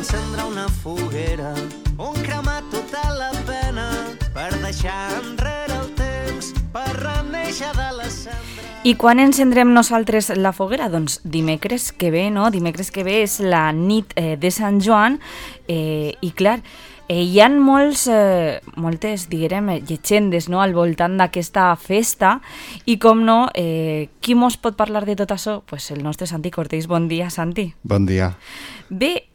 encendre una foguera on cremar tota la pena per deixar enrere el temps, per renéixer de la cendra. I quan encendrem nosaltres la foguera? Doncs dimecres que ve, no? Dimecres que ve és la nit de Sant Joan i clar, hi ha moltes, diguem, llegendes, no?, al voltant d'aquesta festa i com no, qui mos pot parlar de tot això? Pues el nostre Santi Cortés. Bon dia, Santi. Bon dia. Bé,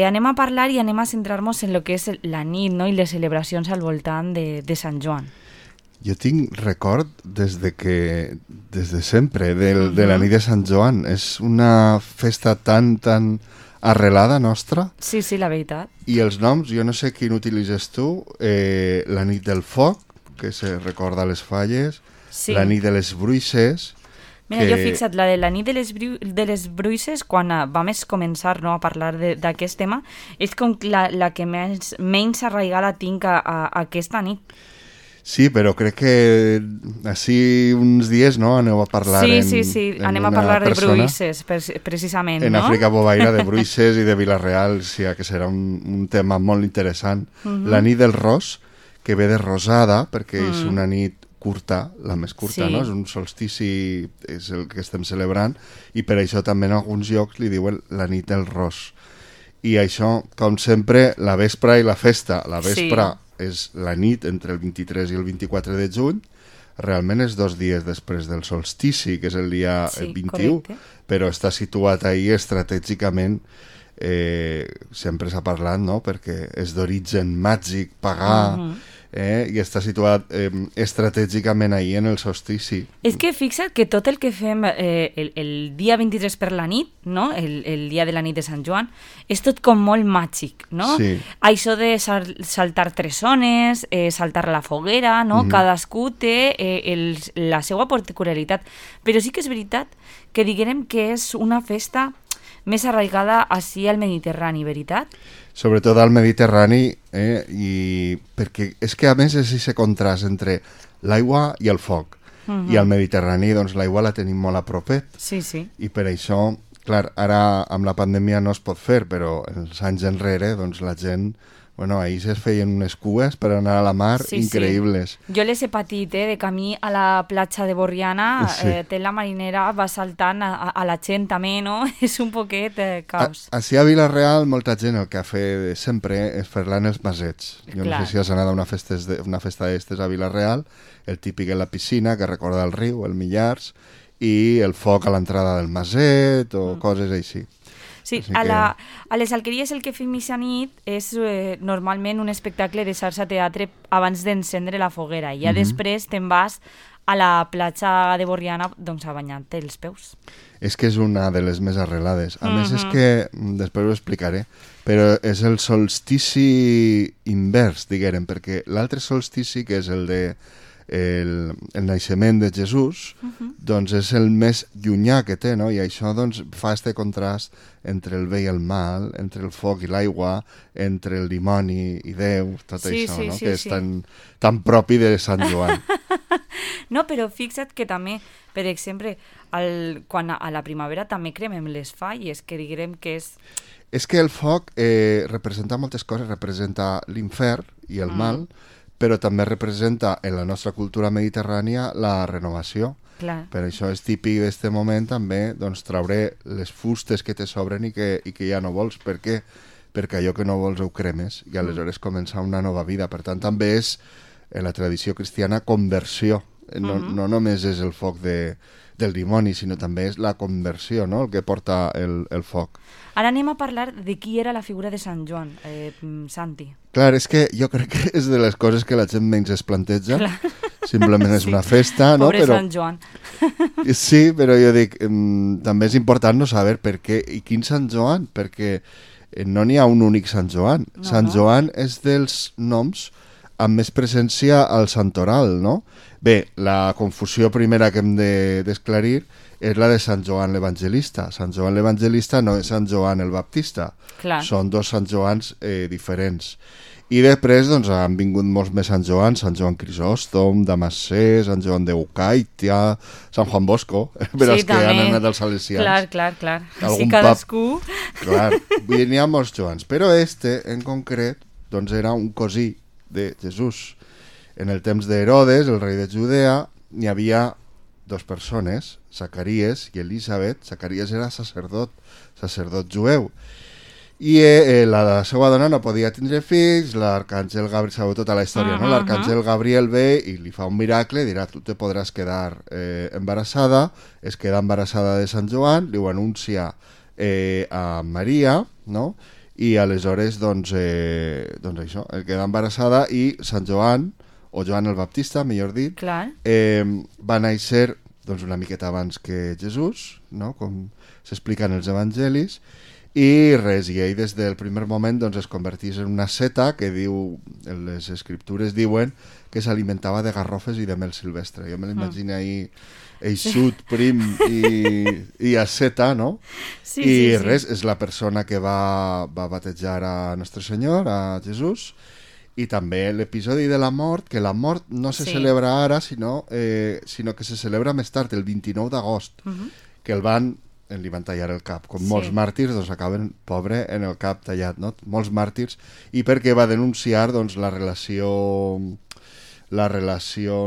anem a parlar i anem a centrar-nos en el que és la nit, no?, i les celebracions al voltant de Sant Joan. Jo tinc record des de sempre de la nit de Sant Joan. És una festa tan arrelada nostra. Sí, la veritat. I els noms, jo no sé quin utilitzes tu, la nit del foc, que se recorda a les falles, sí. La nit de les bruixes... Mira, jo fixa't, la de la nit de les bruixes, quan vam començar, no, a parlar d'aquest tema, és com la que menys arraigada tinc a aquesta nit. Sí, però crec que així uns dies, no, aneu a parlar sí, anem a parlar de bruixes, precisament, en no? Àfrica Bovaire, de bruixes i de Vila-real, sí, que serà un tema molt interessant. La nit del ros, que ve de rosada, perquè és una nit curta, la més curta, sí. No? És un solstici, és el que estem celebrant, i per això també en alguns llocs li diuen la nit del ros. I això, com sempre, la vespra i la festa. La vespra és la nit entre el 23 i el 24 de juny, realment és 2 dies després del solstici, que és el dia 21, correcte. Però està situat ahí estratègicament, sempre s'ha parlat, no?, perquè és d'origen màgic, pagà, i està situat estratègicament ahí en el solstici. És que fixa't que tot el que fem el dia 23 per la nit, no?, el dia de la nit de Sant Joan, és tot com molt màgic, no? Sí. Això de saltar 3 zones, saltar la foguera, no? Cadascú té la seva particularitat. Però sí que és veritat que diguem que és una festa més arraigada així al Mediterrani, veritat? Sobretot al Mediterrani, i perquè és que a més és aquest contrast entre l'aigua i el foc. I al Mediterrani, doncs, l'aigua la tenim molt a propet. Sí. I per això, clar, ara amb la pandèmia no es pot fer, però els anys enrere, doncs, la gent... Bueno, ahir es feien unes cues per anar a la mar increïbles. Sí. Jo les he patit, de camí a la platja de Borriana, té la marinera, va saltant a la gent també, no? És un poquet caos. Així a Vila-real, molta gent el que ha fet sempre és fer-la en els masets. Jo no sé si has anat a una festa d'estes a Vila-real, el típic en la piscina, que recorda el riu, el Millars, i el foc a l'entrada del maset o coses així. Sí, a les alqueries el que fem aquesta nit és normalment un espectacle de xarxa teatre abans d'encendre la foguera i ja després te'n vas a la platja de Borriana doncs, a banyar-te els peus. És que és una de les més arrelades. A més és que, després ho explicaré, però és el solstici invers, diguem, perquè l'altre solstici, que és el de el naixement de Jesús, doncs és el més llunyà que té, no? I això doncs, fa este contrast entre el bé i el mal, entre el foc i l'aigua, entre el dimoni i Déu, tot això, no? Que és tan propi de Sant Joan. No, però fixa't que també, per exemple, quan a la primavera també cremem les falles, que diguem que és... És que el foc representa moltes coses, representa l'infern i el mal, però també representa en la nostra cultura mediterrània la renovació. Clar. Per això és típic d'aquest moment també doncs, traure les fustes que te sobren i que ja no vols. Per què? Perquè allò que no vols ho cremes i aleshores comença una nova vida. Per tant, també és, en la tradició cristiana, conversió. No només és el foc del dimoni, sinó també és la conversió, no?, el que porta el foc. Ara anem a parlar de qui era la figura de Sant Joan, Santi. Clar, és que jo crec que és de les coses que la gent menys es planteja. Simplement és una festa, no? Pobre Sant Joan. Sí, però jo dic, també és important no saber per què i quin Sant Joan, perquè no n'hi ha un únic Sant Joan. Sant Joan és dels noms amb més presència al santoral, no? Bé, la confusió primera que hem d'esclarir és la de Sant Joan l'Evangelista. Sant Joan l'Evangelista no és Sant Joan el Baptista. Clar. Són 2 Sant Joans diferents. I després doncs, han vingut molts més Sant Joan Crisòstom, Damascè, Sant Joan de Ucaitia, Sant Juan Bosco, per als que han anat als salesians. Clar. Algun Així cadascú... Clar, n'hi ha molts Joans, però en concret, doncs era un cosí de Jesús. En el temps d'Herodes, el rei de Judea, n'hi havia dos persones, Zacaries i Elisabet. Zacaries era sacerdot jueu. I la seva dona no podia tindre fills, l'arcàngel Gabriel, sabeu tota la història, no? L'arcàngel Gabriel ve i li fa un miracle, dirà, tu te podràs quedar embarassada, es queda embarassada de Sant Joan, li ho anuncia a Maria, no? I aleshores, doncs això, el queda embarassada i Sant Joan, o Joan el Baptista, millor dit, va néixer doncs, una miqueta abans que Jesús, no? Com s'explica en els evangelis, i res, i ell des del primer moment doncs, es convertís en una seta que diu, les escriptures diuen que s'alimentava de garrofes i de mel silvestre. Jo me l'imagino ahí eixut, prim i asceta, no? Sí, res, és la persona que va batejar a Nostre Senyor, a Jesús, i també l'episodi de la mort, que la mort no se celebra ara, sinó que se celebra més tard, el 29 d'agost, que li van tallar el cap. Com molts màrtirs, doncs acaben, pobre, en el cap tallat, no? Molts màrtirs, i perquè va denunciar doncs, la relació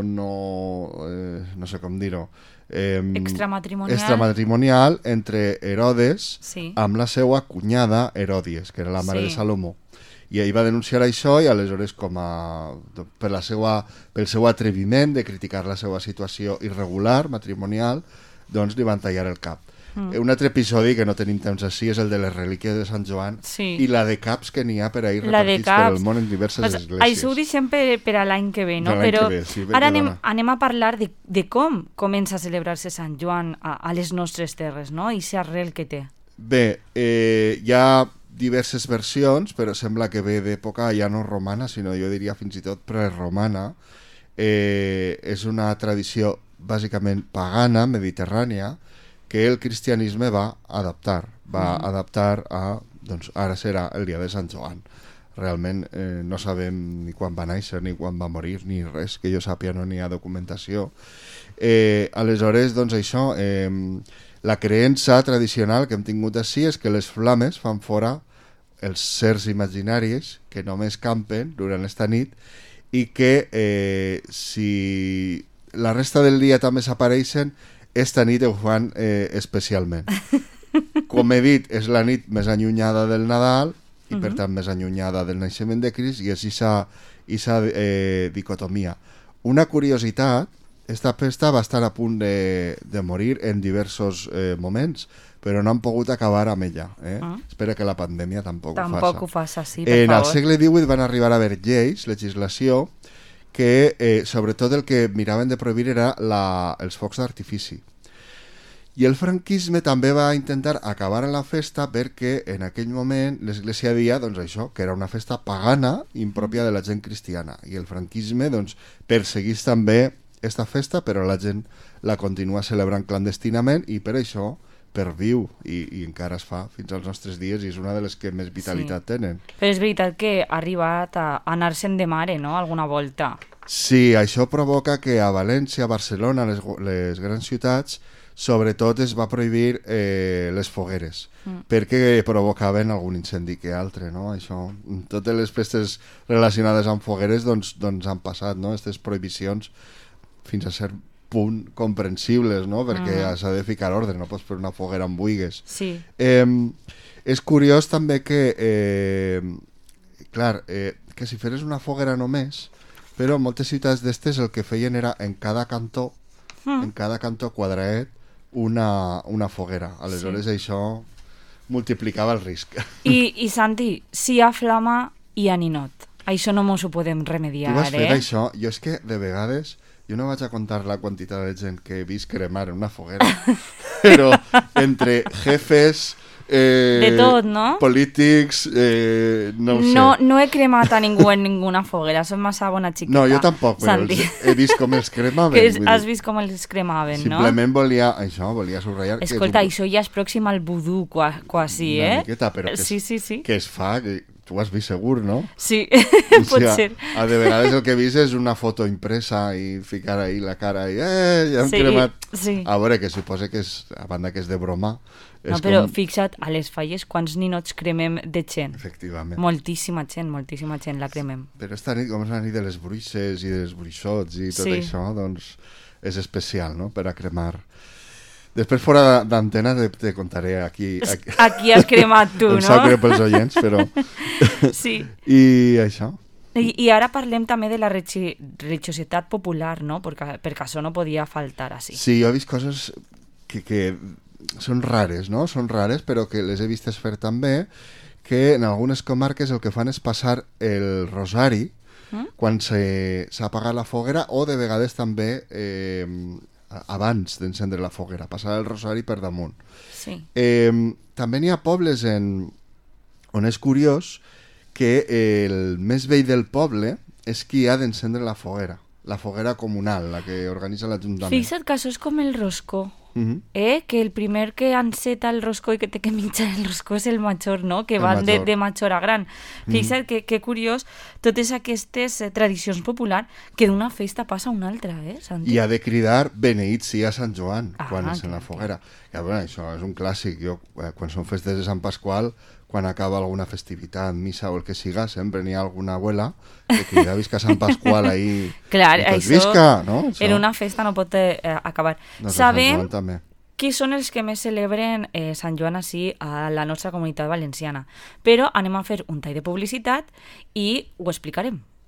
no sé com dir-ho, extramatrimonial entre Herodes amb la seva cunyada Heròdies, que era la mare de Salomó. I ell va denunciar això i aleshores pel seu atreviment de criticar la seva situació irregular, matrimonial, doncs li van tallar el cap. Un altre episodi que no tenim temps així és el de les relíquies de Sant Joan i la de caps que n'hi ha per ahir repartits per el món en diverses esglésies. Això ho deixem per a l'any que ve, no? Però ara anem a parlar de com comença a celebrar-se Sant Joan a les nostres terres, no? I l'arrel que té. Bé, hi ha diverses versions, però sembla que ve d'època ja no romana, sinó jo diria fins i tot preromana. És una tradició bàsicament pagana, mediterrània, que el cristianisme va adaptar a, doncs ara serà el dia de Sant Joan. Realment no sabem ni quan va néixer, ni quan va morir, ni res, que jo sàpia no n'hi ha documentació. Aleshores, doncs això, la creença tradicional que hem tingut així és que les flames fan fora els sers imaginaris que només campen durant esta nit i que si la resta del dia també s'apareixen, esta nit ho fan especialment. Com he dit, és la nit més allunyada del Nadal i per tant més allunyada del naixement de Crist i és aquesta dicotomia. Una curiositat, esta festa va estar a punt de morir en diversos moments, però no han pogut acabar amb ella. Espera que la pandèmia tampoc ho faça. Sí, per favor. En el segle XVIII van arribar a haver lleis, legislació, que sobretot el que miraven de prohibir era els focs d'artifici. I el franquisme també va intentar acabar amb la festa perquè en aquell moment l'Església deia doncs, això, que era una festa pagana impròpia de la gent cristiana. I el franquisme doncs, perseguís també esta festa, però la gent la continua celebrant clandestinament i per això perviu i encara es fa fins als nostres dies i és una de les que més vitalitat tenen. Però és veritat que ha arribat a anar-se'n de mare, no?, alguna volta. Sí, això provoca que a València, a Barcelona, les grans ciutats, sobretot es va prohibir les fogueres, perquè provocaven algun incendi que altre, no? Això, totes les festes relacionades amb fogueres doncs han passat, no? Aquestes prohibicions fins a cert punt comprensibles, no? Perquè s'ha de ficar ordre, no pots fer una foguera amb buigues. Sí. És curiós també que, que si feres una foguera només, però en moltes ciutats d'estes el que feien era en cada cantó quadraet, una foguera. Aleshores això multiplicava el risc. I Santi, si hi ha flama, hi ha ninot. Això no mos ho podem remediar, Tu has fet això? Jo és que de vegades jo no vaig a contar la quantitat de gent que he vist cremar en una foguera, però entre jefes, de tot, no? Polítics, no ho sé. No he cremat a ningú en ninguna foguera, som massa bona xiqueta. No, jo tampoc, però he vist com els cremaven. Has vist com els cremaven, no? Simplement volia subratllar... Escolta, això ja és pròxim al vudú, quasi, Una miqueta, però sí. que es fa... tu has vist segur, no? Sí, O pot sigui, ser. de vegades el que he vist és una foto impresa i ficar ahí la cara i ja hem cremat. Sí. A veure, que suposa que és, a banda que és de broma, és No, però com... fixa't, a les falles, quants ninots cremem de gent? Efectivament. Moltíssima gent la cremem. Però esta nit, com és la nit de les bruixes i dels bruixots i tot això, doncs és especial, no?, per a cremar. Després, fora d'antena, te contaré aquí... Aquí has cremat tu, em no? sap greu pels oients, però... Sí. I això. I ara parlem també de la religiositat popular, no? Perquè això no podia faltar així. Sí, jo he vist coses que són rares, no? Són rares, però que les he vistes fer també, que en algunes comarques el que fan és passar el rosari quan s'ha apagat la foguera, o de vegades també abans d'encendre la foguera, passar el rosari per damunt. Sí. També n'hi ha pobles on és curiós que el més vell del poble és qui ha d'encendre la foguera comunal, la que organitza l'Ajuntament. Fixa't que això és com el roscó. Que el primer que enceta el roscó i que té que mitjar el roscó és el major, no? Que van de major a gran. Fixa't que curiós totes aquestes tradicions populars que d'una festa passa a una altra, Santi? I ha de cridar beneït sia Sant Joan quan és en la clar. foguera. I, bueno, això és un clàssic. Jo, quan són festes de Sant Pasqual, quan acaba alguna festivitat, missa o el que siga, sempre n'hi ha alguna abuela que crida visca Sant Pasqual ahí. Clar, doncs això visca, no? Això. en una festa no pot acabar. Doncs Sabem Sant Joan també. qui són els que més celebren Sant Joan així a la nostra comunitat valenciana. Però anem a fer un tall de publicitat i ho explicarem.